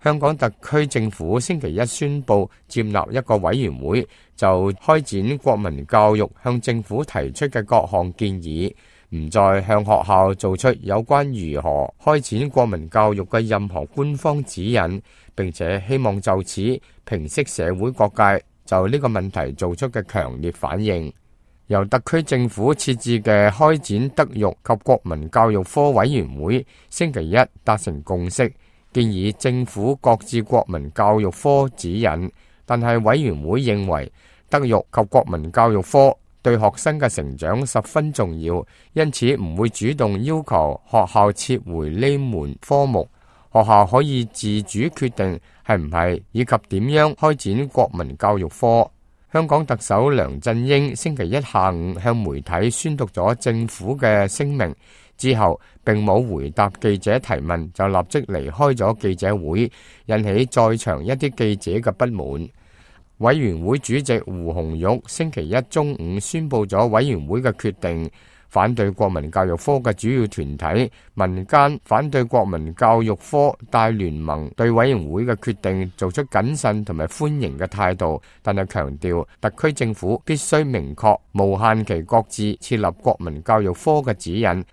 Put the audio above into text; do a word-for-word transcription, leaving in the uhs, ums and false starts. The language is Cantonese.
香港特區政府星期一宣布接納一個委員會就開展國民教育向政府提出嘅各項建議，唔再向學校做出有關如何開展國民教育嘅任何官方指引，並且希望就此平息社會各界就呢個問題做出嘅強烈反應。由特區政府設置嘅開展德育及國民教育科委員會星期一達成共識，建議政府擱置國民教育科指引，但係委員會認為德育及國民教育科對學生嘅成長十分重要，因此唔會主動要求學校撤回呢門科目，學校可以自主決定係唔係以及點樣開展國民教育科。香港特首梁振英星期一下午向媒體宣讀咗政府嘅聲明之後，並冇回答記者提問，就立即離開咗記者會，引起在場一啲記者嘅不滿。委員會主席胡紅玉星期一中午宣布咗委員會嘅決定，反對國民教育科嘅主要團體民間反對國民教育科大聯盟對委員會嘅決定做出謹慎同埋歡迎嘅態度，但係強調特區政府必須明確無限期擱置設立國民教育科嘅指引，